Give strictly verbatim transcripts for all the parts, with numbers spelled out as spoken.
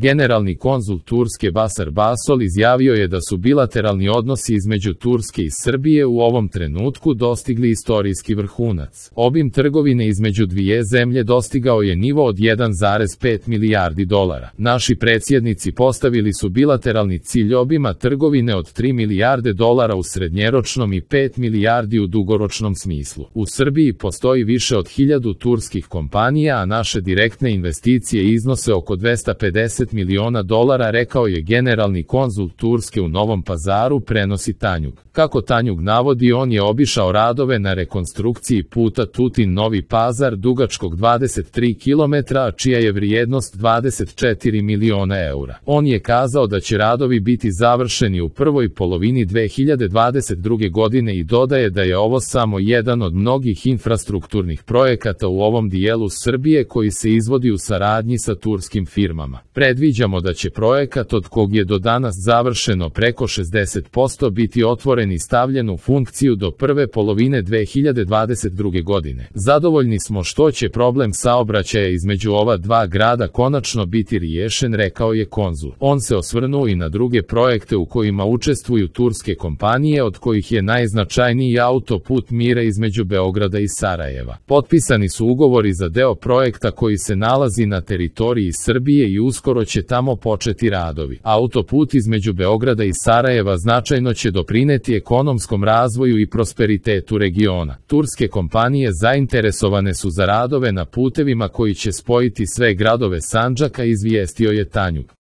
Generalni konzul Turske Basar Basol izjavio je da su bilateralni odnosi između Turske i Srbije u ovom trenutku dostigli istorijski vrhunac. Obim trgovine između dvije zemlje dostigao je nivo od jedan zarez pet milijardi dolara. Naši predsjednici postavili su bilateralni cilj obima trgovine od tri milijarde dolara u srednjeročnom i pet milijardi u dugoročnom smislu. U Srbiji postoji više od hiljadu turskih kompanija, a naše direktne investicije iznose oko dvesta pedeset miliona dolara, rekao je generalni konzul Turske u Novom Pazaru, prenosi Tanjug. Kako Tanjug navodi, on je obišao radove na rekonstrukciji puta Tutin-Novi Pazar dugačkog dvadeset tri kilometra, čija je vrijednost dvadeset četiri miliona eura. On je kazao da će radovi biti završeni u prvoj polovini dve hiljade dvadeset druge godine i dodaje da je ovo samo jedan od mnogih infrastrukturnih projekata u ovom dijelu Srbije koji se izvodi u saradnji sa turskim firmama. Predviđamo da će projekat, od kog je do danas završeno preko šezdeset posto, biti otvoren i stavljen u funkciju do prve polovine dve hiljade dvadeset druge godine. Zadovoljni smo što će problem saobraćaja između ova dva grada konačno biti riješen, rekao je konzul. On se osvrnuo i na druge projekte u kojima učestvuju turske kompanije, od kojih je najznačajniji autoput mira između Beograda i Sarajeva. Potpisani su ugovori za deo projekta koji se nalazi na teritoriji Srbije i uskoro će tamo početi radovi. Autoput između Beograda i Sarajeva značajno će doprineti ekonomskom razvoju i prosperitetu regiona. Turske kompanije zainteresovane su za radove na putevima koji će spojiti sve gradove Sandžaka, izvijestio je Tanjug.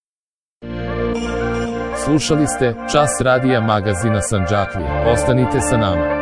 Slušali ste Čas radija magazina Sandžaklija. Ostanite sa nama.